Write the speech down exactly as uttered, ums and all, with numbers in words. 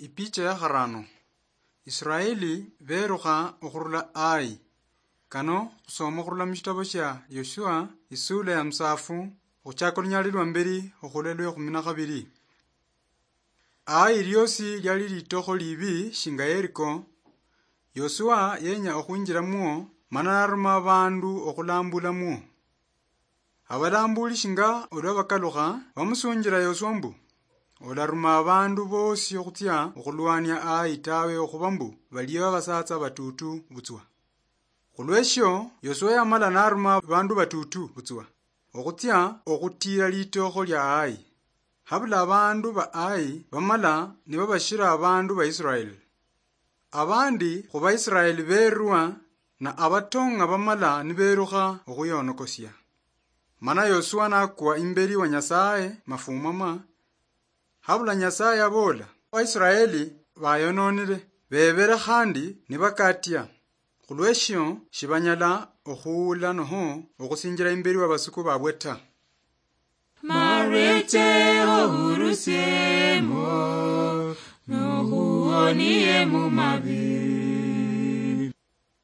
Ipicha ya kharano. Israeli berukha okhurula Ai. Kano khusoma khurula mushitabo shia Yoshua, isula ya musafu, okhuchaka olunyali lwa mberi okhula lwe khumi na khabiri. Ai liosi liali litokho libi shinga Yeriko. Yoshua yenya okhwinjiramwo, mana naruma abandu okhulambulamwo. Abalambuli shinga olwa bakalukha, bamusunjira Yoshua mbu, "Olaruma abandu bosi okhutsia okhulwania Ai tawe, okhuba mbu baliyo abasatsa batutu butswa." Khulweshio, Yoshua yamala naruma abandu batutu butswa okhutsia okhutira litokho lia Ai. Habula abandu ba Ai bamala nibabashira abandu ba Israeli. Abandi khu Baisraeli berwa, na abatong'a bamala niberukha okhwihonokosia. Mana Yosua nakwa imberi wa Nyasaye mafumama, habula Nyasaye aboola, "Abaisraeli bayononire, bebere khandi nibakatia, khulweshio shibanyala okhuula noho okhusinjira imberi wa basuku babwe ta." Mareche ohurusiemo, nohuonie mu mabi.